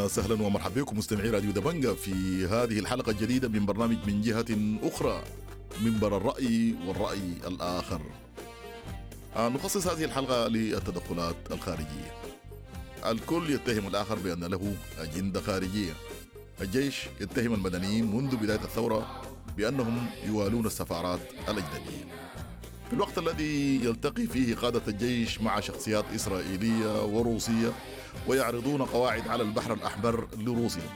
وسهلا ومرحبا بكم مستمعي راديو دبنجة في هذه الحلقة الجديدة من برنامج من جهة أخرى، منبر الرأي والرأي الآخر. نخصص هذه الحلقة للتدخلات الخارجية. الكل يتهم الآخر بأن له أجندة خارجية. الجيش يتهم المدنيين منذ بداية الثورة بأنهم يوالون السفارات الأجنبية. في الوقت الذي يلتقي فيه قادة الجيش مع شخصيات إسرائيلية وروسية ويعرضون قواعد على البحر الأحمر لروسيا،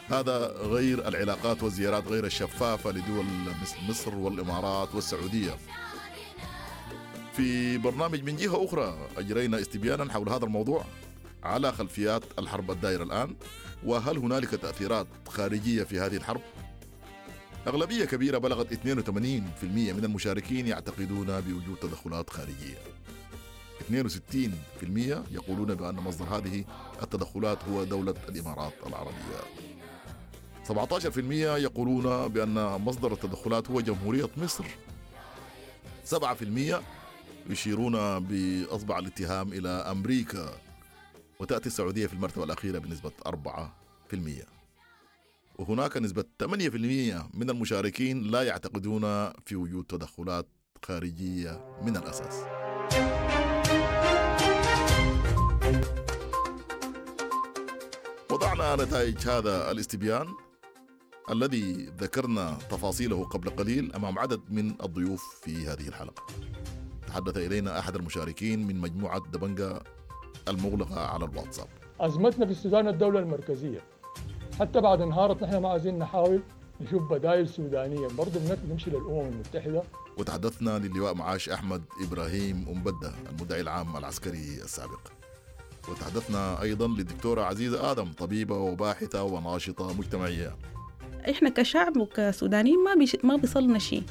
هذا غير العلاقات والزيارات غير الشفافة لدول مثل مصر والإمارات والسعودية. في برنامج من جهة أخرى أجرينا استبيانا حول هذا الموضوع على خلفيات الحرب الدائرة الآن، وهل هنالك تأثيرات خارجية في هذه الحرب؟ أغلبية كبيرة بلغت 82% من المشاركين يعتقدون بوجود تدخلات خارجية. 62% يقولون بأن مصدر هذه التدخلات هو دولة الإمارات العربية. 17% يقولون بأن مصدر التدخلات هو جمهورية مصر. 7% يشيرون بأصبع الاتهام إلى أمريكا، وتأتي السعودية في المرتبة الأخيرة بنسبة 4%. وهناك نسبة 8% من المشاركين لا يعتقدون في وجود تدخلات خارجية من الأساس. وضعنا نتائج هذا الاستبيان الذي ذكرنا تفاصيله قبل قليل أمام عدد من الضيوف في هذه الحلقة. تحدث إلينا أحد المشاركين من مجموعة دبنجة المغلقة على الواتساب. أزمتنا في السودان الدولة المركزية، حتى بعد انهارت نحن ما عايزين نحاول نشوف بدائل سودانية، برضه بنمشي للأمم المتحدة. وتحدثنا للواء معاش أحمد إبراهيم أمبدة المدعي العام العسكري السابق. وتحدثنا أيضا للدكتورة عزيزة آدم، طبيبة وباحثة وناشطة مجتمعية. إحنا كشعب وكسودانيين ما بيصلنا شيء،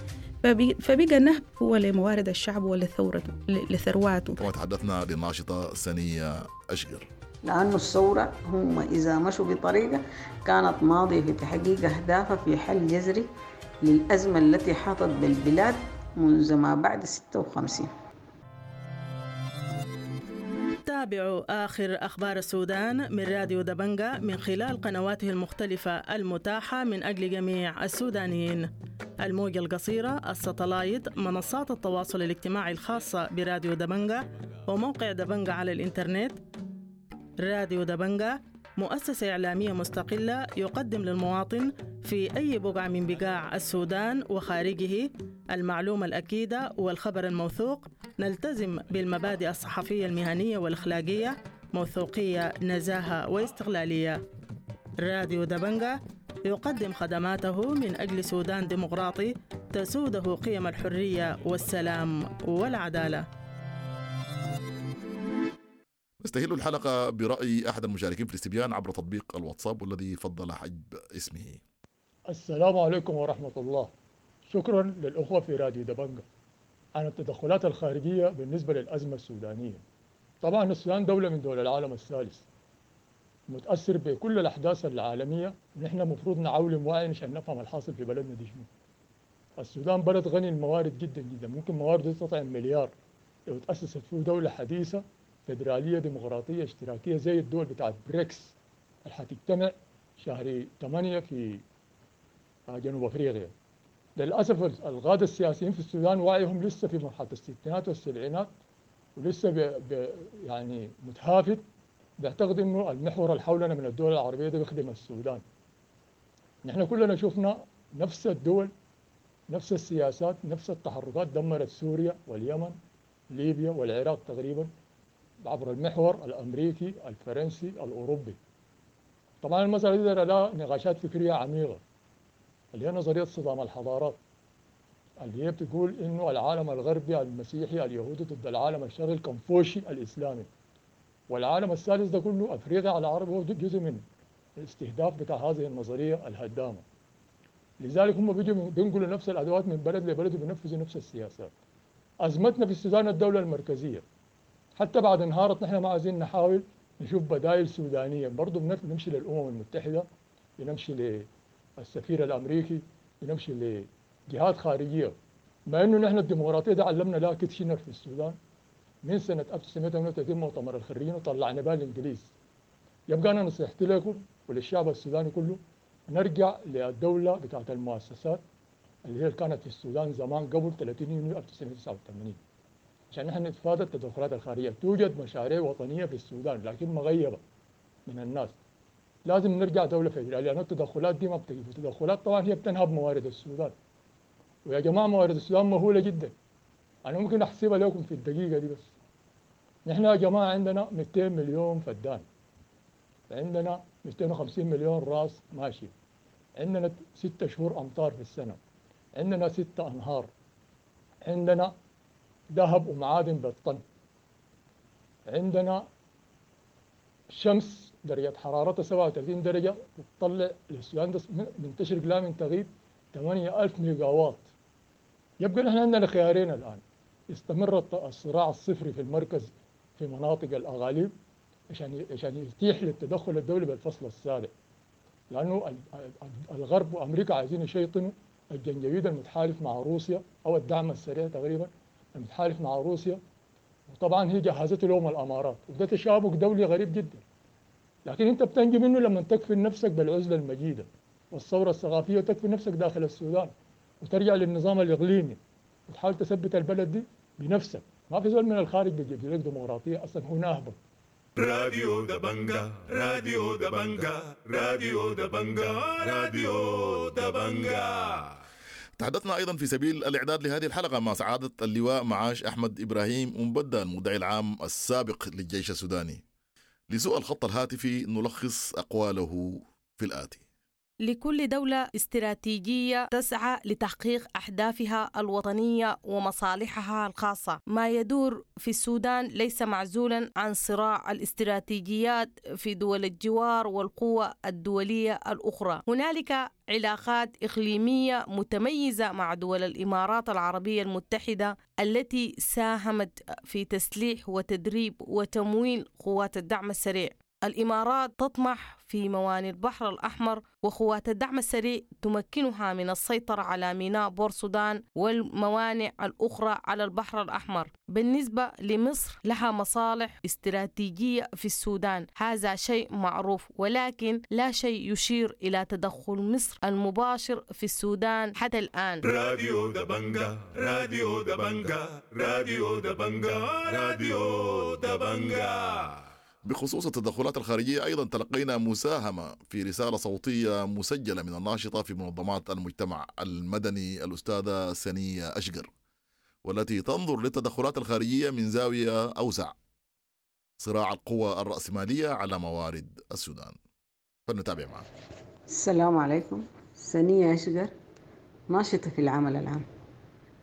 فبقى نهب هو لموارد الشعب ولثورته لثرواته. كما تحدثنا للناشطة سنية أشقر. لأن الثورة هم إذا مشوا بطريقة كانت ماضية في تحقيق أهدافها في حل جذري للأزمة التي حاطت بالبلاد منذ ما بعد 56. تابعوا آخر أخبار السودان من راديو دبنجة من خلال قنواته المختلفة المتاحة من أجل جميع السودانيين. الموجة القصيرة، الستلايت، منصات التواصل الاجتماعي الخاصة براديو دبنجة، وموقع دبنجة على الإنترنت. راديو دبنجة مؤسسة إعلامية مستقلة يقدم للمواطن في أي بقعة من بقاع السودان وخارجه المعلومة الأكيدة والخبر الموثوق. نلتزم بالمبادئ الصحفية المهنية والأخلاقية، موثوقية، نزاهة واستقلالية. راديو دبنجة يقدم خدماته من أجل سودان ديمقراطي تسوده قيم الحرية والسلام والعدالة. نستهل الحلقة برأي أحد المشاركين في الاستبيان عبر تطبيق الواتساب والذي فضل حجب اسمه. السلام عليكم ورحمة الله. شكرا للأخوة في راديو دبنجة عن التدخلات الخارجية بالنسبة للأزمة السودانية. طبعا السودان دولة من دول العالم الثالث، متأثر بكل الأحداث العالمية. نحن مفروض نعولم وعي عشان نفهم الحاصل في بلدنا دي شنو. السودان بلد غني الموارد جدا جدا، ممكن موارده تطعم مليار لو تأسست فيه دولة حديثة فدرالية ديمقراطية اشتراكية زي الدول بتاعت بريكس اللي حتجتمع شهر 8 في جنوب أفريقيا. للأسف القادة السياسيين في السودان وعيهم لسه في مرحلة الستينات والسبعينات، ولسه يعني متهافت، بيعتقد إنه المحور اللي حولنا من الدول العربية ده بيخدم السودان. نحن كلنا شفنا نفس الدول، نفس السياسات، نفس التحركات دمرت سوريا واليمن، ليبيا والعراق تقريبا عبر المحور الأمريكي الفرنسي الأوروبي. طبعا المسألة دي لها نقاشات فكرية عميقة اللي هي نظرية صدام الحضارات، اللي هي بتقول إنه العالم الغربي المسيحي اليهودي ضد العالم الشرقي الكونفوشي الإسلامي، والعالم الثالث ده كله أفريقيا على العرب هو جزء من الاستهداف بتاع هذه النظرية الهدامة. لذلك هم بيجوا بينقلوا نفس الأدوات من بلد لبلد وبينفذوا نفس السياسات. أزمتنا في السودان الدولة المركزية، حتى بعد انهارت نحن ما عايزين نحاول نشوف بدائل سودانية، برضه بنمشي للأمم المتحدة، بنمشي للسفير الأمريكي، بنمشي لجهات خارجية. مع إنه نحن الديمقراطية ده علمنا لا كيتشنر في السودان من سنة 1938 مؤتمر الخريجين وطلعنا بها الإنجليز. يبقى أنا نصيحتي لكم وللشعب السوداني كله، نرجع للدولة بتاعت المؤسسات اللي هي كانت في السودان زمان قبل 30 يونيو 1989، عشان نحن نتفادى التدخلات الخارجية. توجد مشاريع وطنية في السودان لكن مغيبة من الناس. لازم نرجع دولة فيدرالية، لأن التدخلات دي ما بتجي. التدخلات طبعا هي بتنهب موارد السودان، ويا جماعة موارد السودان مهولة جدا، أنا ممكن أحسبها لكم في الدقيقة دي. بس نحن يا جماعة عندنا 200 مليون فدان، عندنا 250 مليون راس ماشي، عندنا 6 شهور أمطار في السنة، عندنا 6 أنهار، عندنا ذهب ومعادن بالطن، عندنا شمس درجة حرارتها 37 درجة بتطلع للسودان ده من تشرق لا من تغيب 8000 ميجاوات. يبقى نحن عندنا خيارين الآن: يستمر الصراع الصفري في المركز في مناطق الأغاليب عشان يتيح للتدخل الدولي بالفصل السابع، لأنه الغرب وأمريكا عايزين يشيطنوا الجنجويد المتحالف مع روسيا أو الدعم السريع تقريبا المتحالف مع روسيا، وطبعا هي جهزته لهم الأمارات، وده تشابك دولي غريب جدا. لكن انت بتنجي منه لما تكفي نفسك بالعزلة المجيدة والثورة الثقافية، وتكفي نفسك داخل السودان وترجع للنظام الإقليمي وتحاول تثبت البلد دي بنفسك. ما في زول من الخارج بيجيب لك ديمقراطية أصلا، هو ناهبك. راديو دبنجا، راديو دبنجا، راديو دبنجا، راديو دبنجا. تحدثنا أيضا في سبيل الإعداد لهذه الحلقة مع سعادة اللواء معاش أحمد إبراهيم أمبدة، المدعي العام السابق للجيش السوداني. لسوء الخط الهاتفي نلخص أقواله في الآتي: لكل دولة استراتيجية تسعى لتحقيق أهدافها الوطنية ومصالحها الخاصة. ما يدور في السودان ليس معزولا عن صراع الاستراتيجيات في دول الجوار والقوى الدولية الأخرى. هنالك علاقات إقليمية متميزة مع دول الإمارات العربية المتحدة التي ساهمت في تسليح وتدريب وتمويل قوات الدعم السريع. الإمارات تطمح في موانئ البحر الأحمر، وقوات الدعم السريع تمكنها من السيطرة على ميناء بورسودان والموانئ الأخرى على البحر الأحمر. بالنسبة لمصر لها مصالح استراتيجية في السودان، هذا شيء معروف، ولكن لا شيء يشير إلى تدخل مصر المباشر في السودان حتى الآن. راديو دبنجا، راديو دبنجا، راديو دبنجا، راديو دبنجا. بخصوص التدخلات الخارجية أيضا تلقينا مساهمة في رسالة صوتية مسجلة من الناشطة في منظمات المجتمع المدني الأستاذة سنية أشقر، والتي تنظر للتدخلات الخارجية من زاوية أوسع: صراع القوى الرأسمالية على موارد السودان. فلنتابع معا. السلام عليكم. سنية أشقر، ناشطة في العمل العام.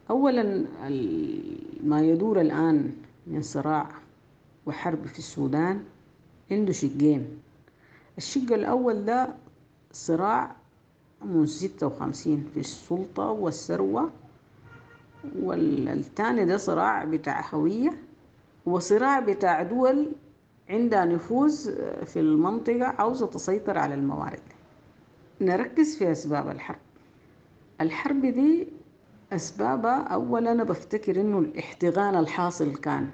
أولا، ما يدور الآن من صراع وحرب في السودان عنده شقين. الشق الأول ده صراع منذ 56 في السلطة والثروة، والثاني ده صراع بتاع هوية وصراع بتاع دول عندها نفوذ في المنطقة عاوزة تسيطر على الموارد. نركز في أسباب الحرب. الحرب دي أسبابها أولا أنا بفتكر إنه الاحتقان الحاصل كان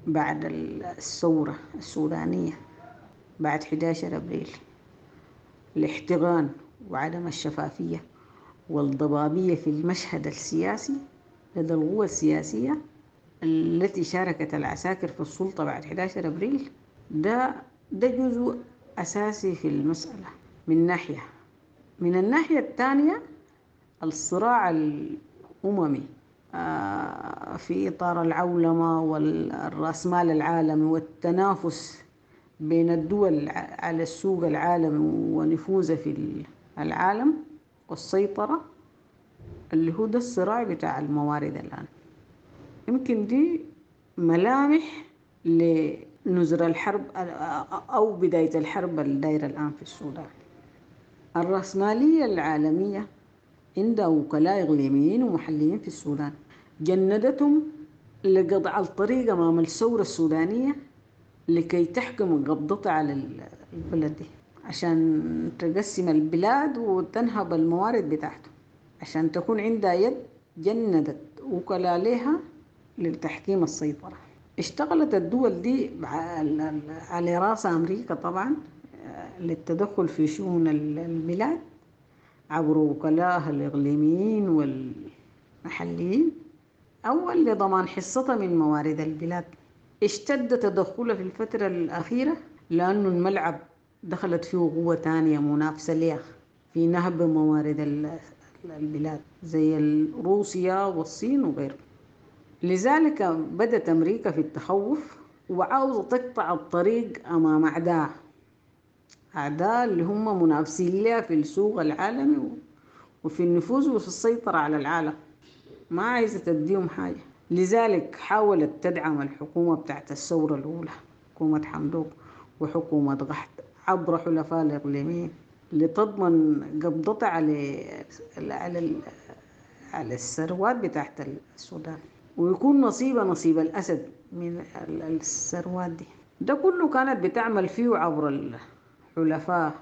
بعد الثورة السودانية بعد 11 أبريل، الاحتقان وعدم الشفافية والضبابية في المشهد السياسي لدى القوى السياسية التي شاركت العساكر في السلطة بعد 11 أبريل، ده جزء أساسي في المسألة من ناحية. من الناحية الثانية الصراع الأممي في إطار العولمة والرأسمال العالمي والتنافس بين الدول على السوق العالمي ونفوذه في العالم والسيطرة، اللي هو ده الصراع بتاع الموارد الآن. يمكن دي ملامح لنزر الحرب أو بداية الحرب الدايرة الآن في السودان. الرأسمالية العالمية عندها وكلاء إقليميين ومحليين في السودان جندتهم لقطع الطريق أمام الثورة السودانية لكي تحكم قبضتها على البلد دي، عشان تقسم البلاد وتنهب الموارد بتاعته، عشان تكون عندها يد جندت وكلاء لها لتحكيم السيطرة. اشتغلت الدول دي على رأس أمريكا طبعا، للتدخل في شؤون البلاد عبر وكلائها الإقليميين والمحليين، أول لضمان حصتها من موارد البلاد. اشتد تدخلها في الفترة الأخيرة لأنه الملعب دخلت فيه قوة تانية منافسة لها في نهب موارد البلاد زي روسيا والصين وغيره. لذلك بدأت أمريكا في التخوف وعاوزة تقطع الطريق أمام أعداء اللي هم منافسين لها في السوق العالمي وفي النفوذ وفي السيطرة على العالم، ما عايزة تديهم حاجة. لذلك حاولت تدعم الحكومة بتاعت الثورة الأولى، حكومة حمدوك وحكومة قحط، عبر حلفاء الإقليميين لتضمن قبضتها على الثروات بتاعت السودان، ويكون نصيبها نصيب الأسد من الثروات دي. ده كله كانت بتعمل فيه عبر الحلفاء،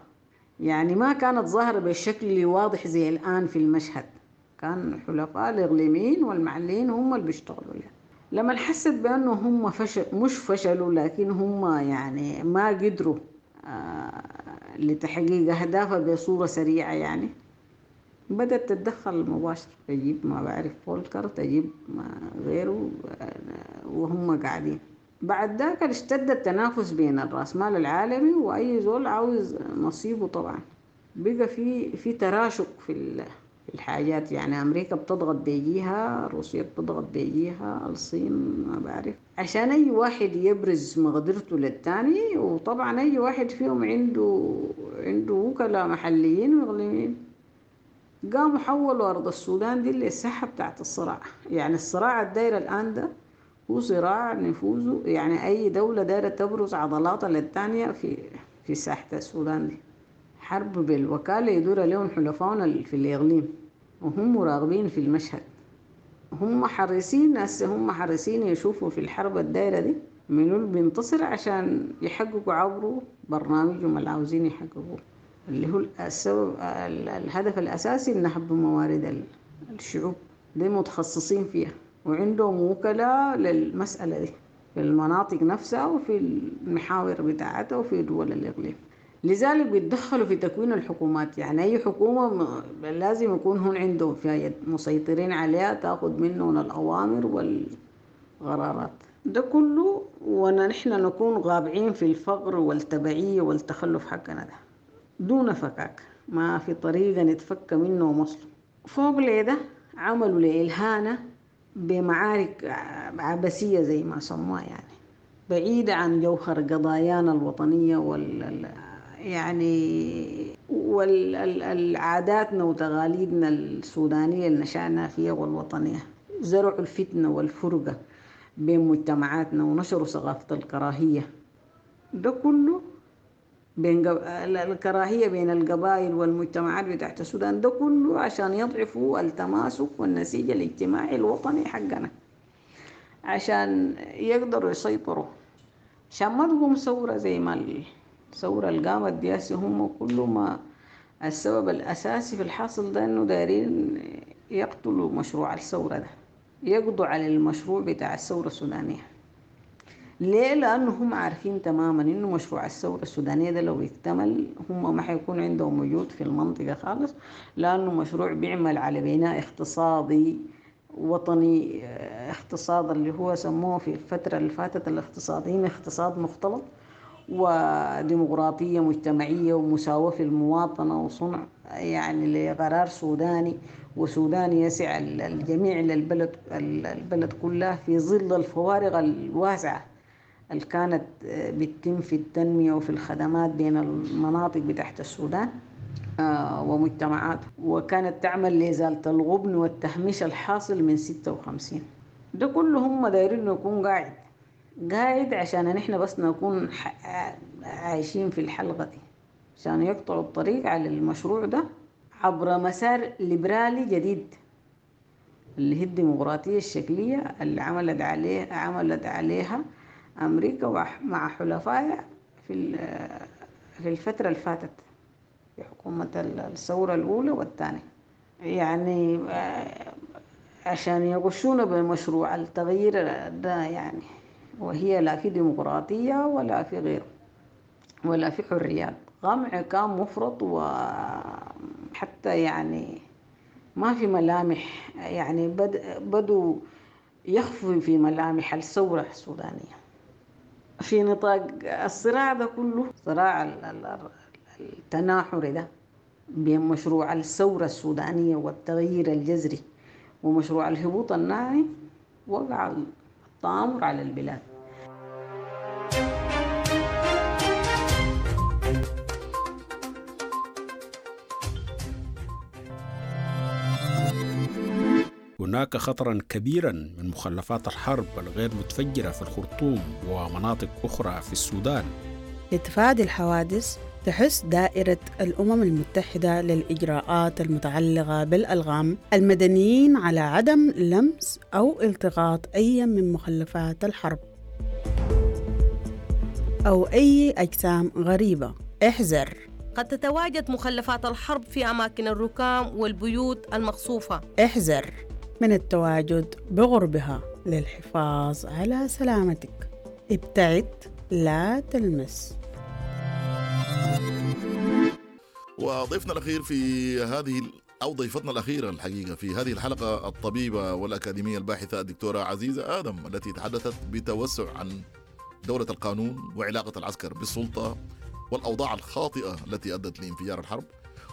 يعني ما كانت ظاهرة بشكل واضح زي الآن في المشهد، كان حلفاء الإقليميين والمحليين هم اللي بيشتغلوا لها. لما حست بأنه هم فشل، مش فشلوا لكن هم يعني ما قدروا لتحقيق أهدافها بصورة سريعة، يعني بدأت تتدخل مباشرة، تجيب ما بعرف فولكر، تجيب ما غيره، وهم قاعدين. بعد ذاك اشتد التنافس بين الرأسمال العالمي وأي زول عاوز نصيبه. طبعا بقى في تراشق في الحاجات، يعني أمريكا بتضغط بيجيها، روسيا بتضغط بيجيها، الصين ما بعرف، عشان أي واحد يبرز مقدرته للتاني. وطبعا أي واحد فيهم عنده وكلاء محليين وإقليميين. قاموا حولوا أرض السودان دي للساحة بتاعت الصراع، يعني الصراع الداير الآن ده هو صراع نفوذه، يعني أي دولة دايرة تبرز عضلاتها للتانية في ساحة السودان دي. حرب بالوكالة يدور لهم حلفائنا في الإقليم، وهم مراقبين في المشهد، هم حريصين هسه، هم حريصين يشوفوا في الحرب الدايرة دي منو اللي بينتصر عشان يحققوا عبره برنامجهم اللي عاوزين يحققوه، اللي هو السبب الهدف الأساسي نهب موارد الشعوب دي، متخصصين فيها وعندهم وكلاء للمسألة دي في المناطق نفسها وفي المحاور بتاعتها وفي دول الإقليم. لذلك بيتدخلوا في تكوين الحكومات، يعني أي حكومة لازم يكون هون عندهم فيها يد مسيطرين عليها، تأخذ منهم الأوامر والقرارات. ده كله ونحن نكون غابعين في الفقر والتبعية والتخلف حقنا ده دون فكاك، ما في طريقة نتفك منه أصلا. فوق لده عملوا لإلهانة بمعارك عبثية زي ما سموها، يعني بعيدة عن جوهر قضايانا الوطنية يعني والعاداتنا وتقاليدنا السودانية اللي نشأنا فيها والوطنية. زرعوا الفتنة والفرقة بين مجتمعاتنا ونشروا ثقافة الكراهية، ده كله بين الكراهية بين القبائل والمجتمعات بتاعت السودان، ده كله عشان يضعفوا التماسك والنسيج الاجتماعي الوطني حقنا، عشان يقدروا يسيطروا، عشان ما تقوم ثورة زي ما الثورة اللي قامت دي. هم كله ما السبب الأساسي في الحاصل ده إنه دايرين يقتلوا مشروع الثورة ده، يقضوا على المشروع بتاع الثورة السودانية. ليه؟ لأنه هم عارفين تماما إنه مشروع الثورة السودانية ده لو اكتمل هم ما حيكون عندهم وجود في المنطقة خالص، لأنه مشروع بيعمل على بناء اقتصادي وطني، اقتصاد اللي هو سموه في الفترة اللي فاتت الاقتصاديين اقتصاد مختلط وديمقراطية مجتمعية ومساواة في المواطنة وصنع يعني لقرار سوداني وسوداني يسع الجميع للبلد، البلد كلها في ظل الفوارق الواسعة اللي كانت بتتم في التنمية وفي الخدمات بين المناطق بتاعت السودان ومجتمعات، وكانت تعمل لإزالة الغبن والتهميش الحاصل من 56. ده كله هم دايرين يكون قاعد عشان نحن بس نكون عايشين في الحلقة دي، عشان يقطعوا الطريق على المشروع ده عبر مسار ليبرالي جديد اللي هي الديمقراطية الشكلية اللي عملت عليها أمريكا مع حلفائها في الفترة اللي فاتت في حكومة الثورة الأولى والثانية، يعني عشان يغشونا بمشروع التغيير ده يعني، وهي لا في ديمقراطية ولا في غيره ولا في حريات قمع كان مفرط، وحتى يعني ما في ملامح، يعني بدوا يخفوا في ملامح الثورة السودانية في نطاق الصراع ده كله، صراع التناحر ده بين مشروع الثورة السودانية والتغيير الجذري ومشروع الهبوط الناعم. وقع التآمر على البلاد. هناك خطرا كبيرا من مخلفات الحرب الغير متفجرة في الخرطوم ومناطق أخرى في السودان. لتفادي الحوادث تحث دائرة الأمم المتحدة للإجراءات المتعلقة بالألغام المدنيين على عدم لمس أو التقاط أي من مخلفات الحرب أو أي أجسام غريبة. احذر، قد تتواجد مخلفات الحرب في أماكن الركام والبيوت المقصوفة. احذر من التواجد بغربها للحفاظ على سلامتك. ابتعد، لا تلمس. وضيفنا الأخير في هذه أو ضيفتنا الأخيرة الحقيقة في هذه الحلقة الطبيبة والأكاديمية الباحثة الدكتورة عزيزة آدم، التي تحدثت بتوسع عن دولة القانون وعلاقة العسكر بالسلطة والأوضاع الخاطئة التي أدت لانفجار الحرب،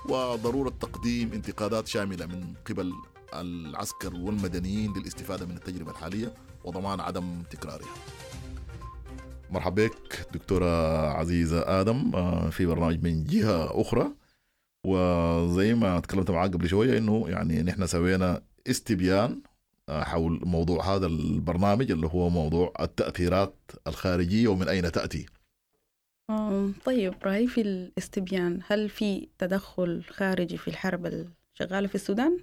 وضرورة تقديم انتقادات شاملة من قبل العسكر والمدنيين للاستفادة من التجربة الحالية وضمان عدم تكرارها. مرحبا بك دكتورة عزيزة آدم في برنامج من جهة أخرى. وزي ما تكلمت معاك قبل شوية إنه يعني نحن سوينا استبيان حول موضوع هذا البرنامج اللي هو موضوع التأثيرات الخارجية ومن أين تأتي. طيب، رأيي في الاستبيان، هل في تدخل خارجي في الحرب الشغالة في السودان؟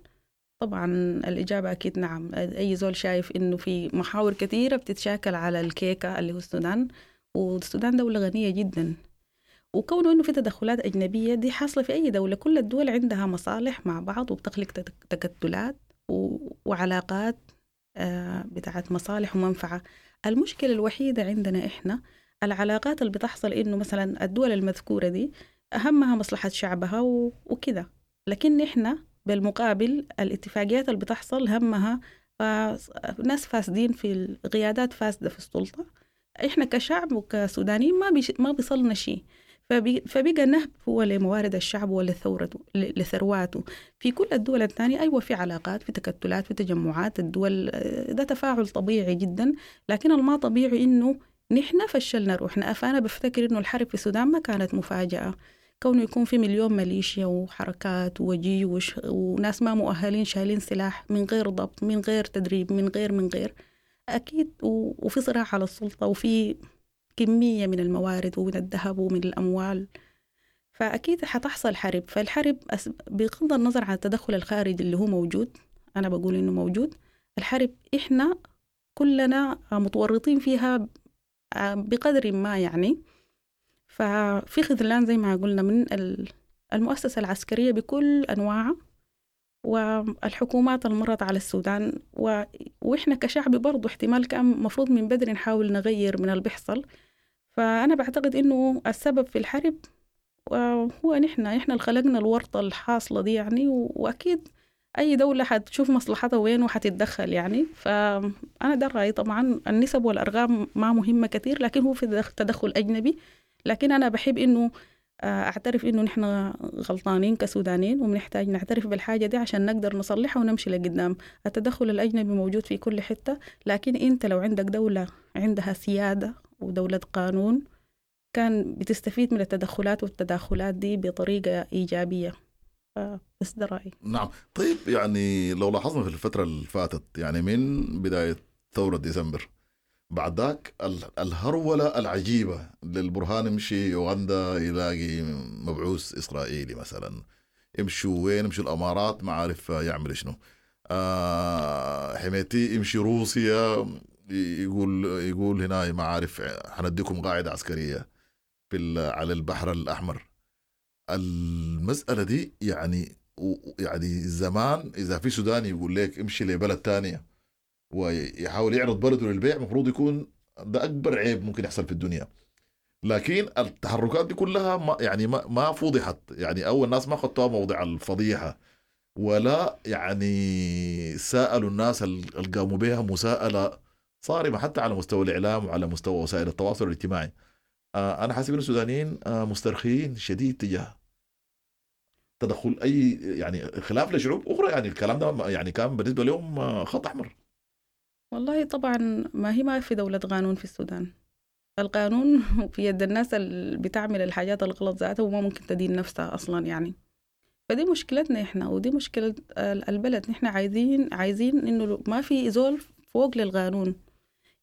طبعا الإجابة أكيد نعم. أي زول شايف إنه في محاور كثيرة بتتشاكل على الكيكة اللي هو السودان، والسودان دولة غنية جدا، وكونه إنه في تدخلات أجنبية دي حاصلة في أي دولة. كل الدول عندها مصالح مع بعض وبتخلق تكتلات وعلاقات بتاعت مصالح ومنفعة. المشكلة الوحيدة عندنا إحنا العلاقات اللي بتحصل إنه مثلا الدول المذكورة دي أهمها مصلحة شعبها وكده، لكن إحنا بالمقابل الاتفاقيات اللي بتحصل همها ناس فاسدين في القيادات، فاسدة في السلطة. إحنا كشعب وكسودانيين ما بيصلنا شيء، فبقى نهب هو لموارد الشعب ولثورته لثرواته. في كل الدول الثانية أيوة في علاقات، في تكتلات، في تجمعات الدول، ده تفاعل طبيعي جدا. لكن الما طبيعي إنه نحن فشلنا روحنا. فأنا بفتكر إنه الحرب في السودان ما كانت مفاجأة، كونه يكون في مليون ميليشيا وحركات وجيوش وناس ما مؤهلين شايلين سلاح من غير ضبط، من غير تدريب، من غير أكيد، وفي صراع على السلطة، وفي كمية من الموارد ومن الذهب ومن الأموال، فأكيد حتحصل حرب. فالحرب بغض النظر عن التدخل الخارجي اللي هو موجود، أنا بقول إنه موجود، الحرب إحنا كلنا متورطين فيها بقدر ما يعني. ففي خذلان زي ما قلنا من المؤسسة العسكرية بكل أنواعها والحكومات المرت على السودان، وإحنا كشعب برضو احتمال كان مفروض من بدري نحاول نغير من اللي بيحصل. فأنا بعتقد إنه السبب في الحرب هو نحن اللي خلقنا الورطة الحاصلة دي يعني، وأكيد أي دولة حتشوف مصلحتها وين وحتتدخل يعني. فأنا ده رأيي. طبعا النسب والأرقام ما مهمة كثير، لكن هو في تدخل أجنبي. لكن أنا بحب إنه أعترف إنه نحن غلطانين كسودانيين، وبنحتاج نعترف بالحاجة دي عشان نقدر نصلحها ونمشي لقدام. التدخل الأجنبي موجود في كل حتة، لكن أنت لو عندك دولة عندها سيادة ودولة قانون كان بتستفيد من التدخلات والتداخلات دي بطريقة إيجابية. بس ده رأيي. نعم. طيب، يعني لو لاحظنا في الفترة اللي فاتت، يعني من بداية ثورة ديسمبر بعد ذاك الهرولة العجيبة للبرهان، يمشي يوغندا يلاقي مبعوث إسرائيلي مثلا، يمشوا وين، يمشوا الأمارات ما عارف يعمل شنو، حميتي يمشي روسيا يقول هنا ما عارف حنديكم قاعدة عسكرية في على البحر الأحمر. المسألة دي يعني زمان إذا في سوداني يقول لك امشي لبلد تانية ويحاول يعرض بلده للبيع، مفروض يكون ده أكبر عيب ممكن يحصل في الدنيا. لكن التحركات دي كلها ما يعني ما فضحت يعني، او الناس ما خدتوها موضع الفضيحة، ولا يعني سالوا الناس اللي قاموا بها مساءله صارمة حتى على مستوى الاعلام وعلى مستوى وسائل التواصل الاجتماعي. انا حاسب ان السودانيين مسترخيين شديد تجاه تدخل اي يعني خلاف لشعوب اخرى، يعني الكلام ده يعني كان بالنسبة لهم خط احمر. والله طبعا ما هي ما في دولة قانون في السودان، القانون في يد الناس اللي بتعمل الحاجات الغلط ذاتها وما ممكن تدين نفسها أصلا يعني. فدي مشكلتنا إحنا، ودي مشكلة البلد. نحن عايزين إنه ما في زول فوق للقانون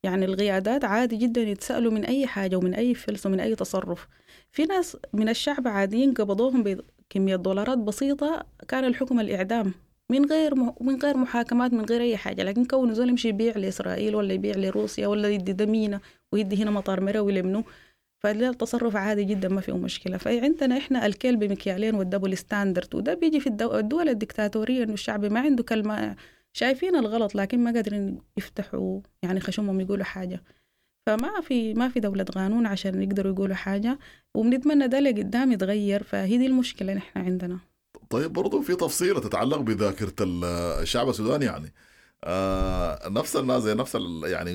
يعني. القيادات عادي جدا يتسألوا من أي حاجة ومن أي فلس ومن أي تصرف. في ناس من الشعب عاديين قبضوهم بكمية دولارات بسيطة، كان الحكم الإعدام من غير محاكمات، من غير أي حاجة. لكن كونه زول يمشي يبيع لإسرائيل ولا يبيع لروسيا ولا يدي دمينة ويدي هنا مطار مروي لمنه، فده التصرف عادي جدا ما فيه مشكلة. فعندنا إحنا الكيل بمكيالين وال double standard، وده بيجي في الدول الدكتاتورية، إنه الشعب ما عنده كلمة، شايفين الغلط لكن ما قادرين يفتحوا يعني خشمهم يقولوا حاجة. فما في ما في دولة قانون عشان يقدروا يقولوا حاجة، وبنتمنى ده لقدام يتغير. فهي دي المشكلة نحن عندنا. طيب برضو في تفصيلة تتعلق بذاكرة الشعب السوداني يعني. نفس الناس زي نفس يعني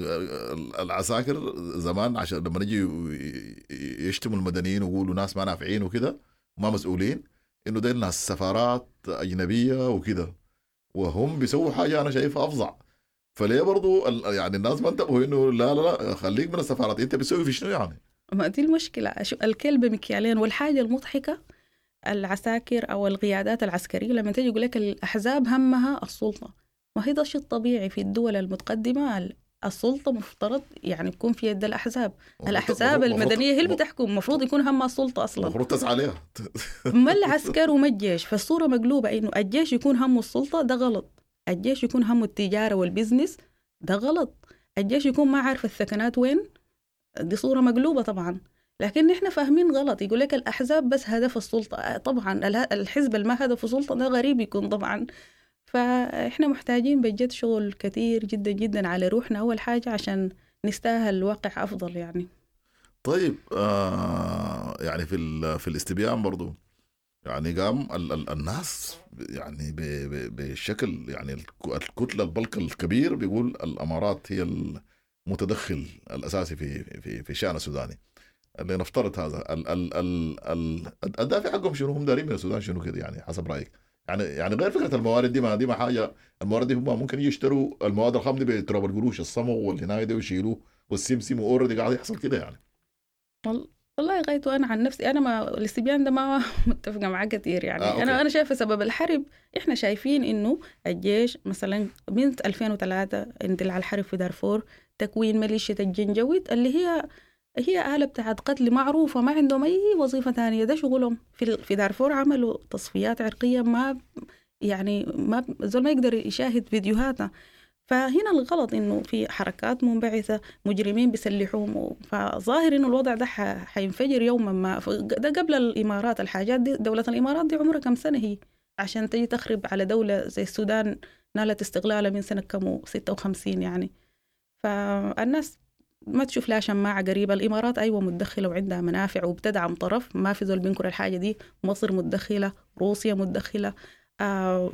العساكر زمان، عشان لما نجي يشتموا المدنيين ويقولوا ناس ما نافعين وكده وما مسؤولين، انه ديل ناس سفارات اجنبية وكده، وهم بيسووا حاجة انا شايفها افظع. فليه برضو يعني الناس ما انتبهوا انه لا لا لا خليك من السفارات، انت بتسوي في شنو يعني؟ ما دي المشكلة، الكلب مكيالين. والحاجة المضحكة العساكر أو القيادات العسكرية لما تيجي يقول لك الأحزاب همها السلطة، وهي ده الشيء الطبيعي في الدول المتقدمة. السلطة مفترض يعني تكون في يد الأحزاب، الأحزاب المدنية هي اللي بتحكم، المفروض يكون همها السلطة أصلا، المفروض تسعى عليها. ما العسكر وما الجيش. فالصورة مقلوبة، إنه الجيش يكون همه السلطة ده غلط، الجيش يكون همه التجارة وال business ده غلط، الجيش يكون ما عارف الثكنات وين، دي صورة مقلوبة طبعا. لكن نحن فاهمين غلط، يقول لك الأحزاب بس هدف السلطة. طبعا الحزب اللي ما هدفه سلطة ده غريب يكون طبعا. فإحنا محتاجين بجد شغل كثير جدا جدا على روحنا أول حاجة عشان نستاهل واقع أفضل يعني. طيب يعني في الاستبيان برضو يعني قام الناس يعني بشكل يعني الكتلة البلك الكبير بيقول الأمارات هي المتدخل الأساسي في في في الشأن السوداني. اللي نفترض هذا ال ال ال ال الدافع حقهم شنو؟ هم دارين من السودان شنو كده يعني حسب رأيك؟ يعني غير فكرة الموارد دي، ما حاجة. الموارد دي هم ممكن يشتروا المواد الخام دي بتراب القروش، الصمغ والهناية دي ويشيلوه والسمسم، واوريدي قاعد يحصل كده يعني. والله غايته انا عن نفسي انا ما الاستبيان ده ما متفقه معاه كثير يعني. انا شايفه سبب الحرب، احنا شايفين انه الجيش مثلا من 2003 اندلع الحرب في دارفور، تكوين ميليشيا الجنجويد اللي هي آلة بتاعت قتل معروفة، ما عندهم أي وظيفة تانية، ده شغلهم. في دارفور عملوا تصفيات عرقية، ما يعني ما زول ما يقدر يشاهد فيديوهاتها. فهنا الغلط إنه في حركات منبعثة، مجرمين بيسلحوهم، فظاهر إنه الوضع ده حينفجر يوما ما. ده قبل الإمارات، الحاجات دي دولة الإمارات دي عمرها كم سنة هي عشان تجي تخرب على دولة زي السودان نالت استقلالها من سنة كم 56 يعني. فالناس ما تشوف لها شماعة قريبة. الإمارات أيوة متدخلة وعندها منافع وبتدعم طرف، ما في زول بينكر الحاجة دي. مصر متدخلة، روسيا متدخلة،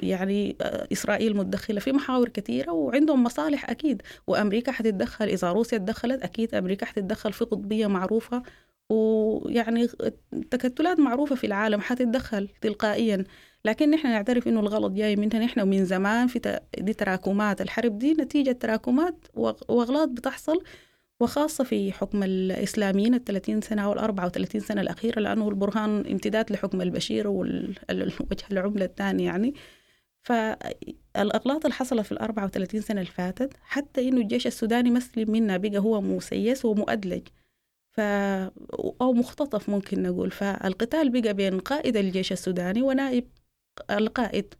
يعني إسرائيل متدخلة في محاور كثيرة وعندهم مصالح أكيد. وأمريكا حتتدخل، إذا روسيا تدخلت أكيد أمريكا حتتدخل في قطبية معروفة، ويعني تكتلات معروفة في العالم حتتدخل تلقائيا. لكن نحن نعترف إنه الغلط جاي منها نحن، ومن زمان في دي تراكمات. الحرب دي نتيجة تراكمات وأغلاط بتحصل، وخاصة في حكم الإسلاميين 30 سنة أو 34 سنة الأخيرة، لأنه البرهان امتداد لحكم البشير والوجه العملة الثاني يعني. فالأغلاط اللي حصلت في 34 سنة اللي فاتت، حتى إنه الجيش السوداني مسلم منا بقى هو مسيس ومؤدلج أو مختطف ممكن نقول. فالقتال بقى بين قائد الجيش السوداني ونائب القائد،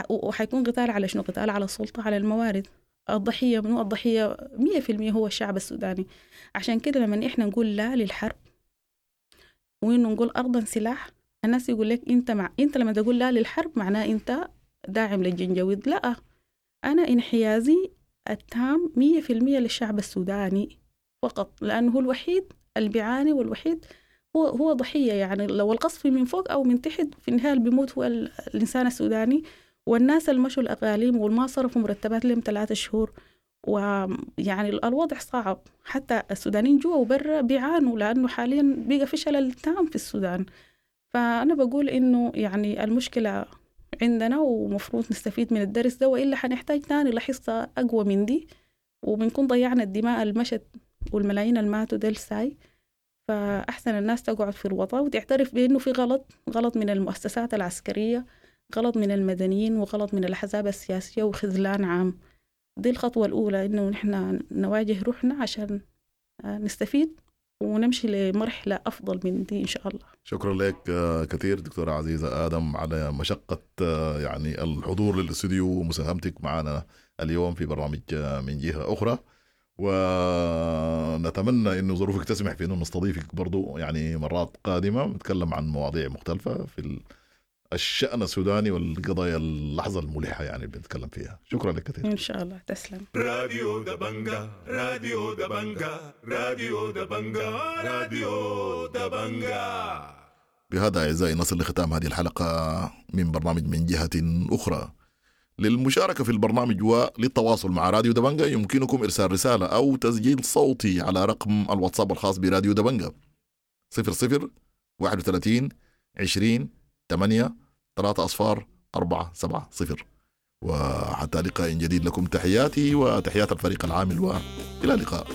وحيكون قتال على شنو؟ قتال على السلطة، على الموارد. الضحية منو؟ الضحية 100% هو الشعب السوداني. عشان كده لما إحنا نقول لا للحرب وإنه نقول أرضا سلاح، الناس يقول لك أنت لما تقول لا للحرب معناه أنت داعم للجنجويد. لا، أنا انحيازي التام 100% للشعب السوداني فقط، لأنه هو الوحيد اللي بيعاني والوحيد هو ضحية. يعني لو القصف من فوق أو من تحت، في النهاية اللي بيموت هو الإنسان السوداني والناس اللي مشوا الأقاليم والما صرفوا مرتبات لهم 3 شهور. ويعني الوضع صعب، حتى السودانيين جوا وبرا بيعانوا، لأنه حاليا بقى في شلل تام في السودان. فأنا بقول إنه يعني المشكلة عندنا ومفروض نستفيد من الدرس ده، وإلا حنحتاج تاني لحصة أقوى من دي، وبنكون ضيعنا الدماء المشت والملايين الماتوا ديل ساي. فأحسن الناس تقعد في الوطن وتعترف بأنه في غلط، غلط من المؤسسات العسكرية، غلط من المدنيين، وغلط من الأحزاب السياسية، وخذلان عام. دي الخطوة الأولى، إنه نحن نواجه روحنا عشان نستفيد ونمشي لمرحلة أفضل من دي إن شاء الله. شكرا لك كثير دكتورة عزيزة آدم على مشقة يعني الحضور للاستوديو ومساهمتك معنا اليوم في برنامج من جهة أخرى، ونتمنى إنه ظروفك تسمح في إنه نستضيفك برضو يعني مرات قادمة نتكلم عن مواضيع مختلفة في الشأن السوداني والقضايا اللحظة الملحة يعني اللي بنتكلم فيها. شكرا لك كثير. إن شاء الله، تسلم. راديو دبنجا، راديو دبنجا، راديو دبنجا، راديو دبنجا. بهذا أعزائي نصل لختام هذه الحلقة من برنامج من جهة أخرى. للمشاركة في البرنامج وللتواصل مع راديو دبنجا يمكنكم إرسال رسالة أو تسجيل صوتي على رقم الواتساب الخاص براديو دبنجا 00 31 20 8 3 0 4 7 0. وحتى لقاء جديد لكم تحياتي وتحيات الفريق العامل، وإلى اللقاء.